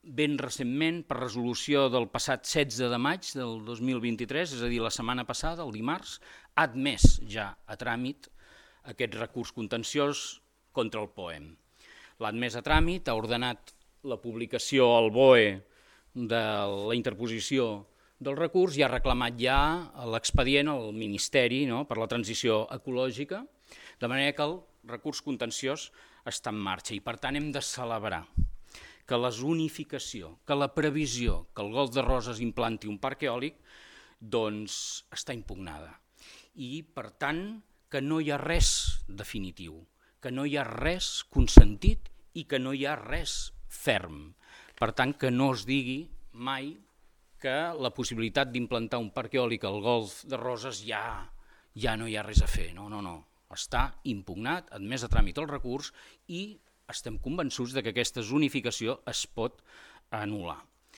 ben recentment, per resolució del passat 16 de maig del 2023, és a dir, la setmana passada, el dimarts, ha admès ja a tràmit aquest recurs contenciós contra el POEM. L'ha admès a tràmit, ha ordenat la publicació al BOE de la interposició del recurs i ha reclamat ja l'expedient al Ministeri per la transició ecològica, de manera que el recurs contenciós està en marxa i per tant hem de celebrar que la zonificació, que la previsió que el Golf de Roses implanti un parc eòlic doncs està impugnada i per tant que no hi ha res definitiu, que no hi ha res consentit i que no hi ha res ferm. Per tant, que no es digui mai que la possibilitat d'implantar un parc eòlic al Golf de Roses ja no hi ha res a fer. No. Està impugnat, admès a tràmit el recurs i estem convençuts que aquesta zonificació es pot anul·lar.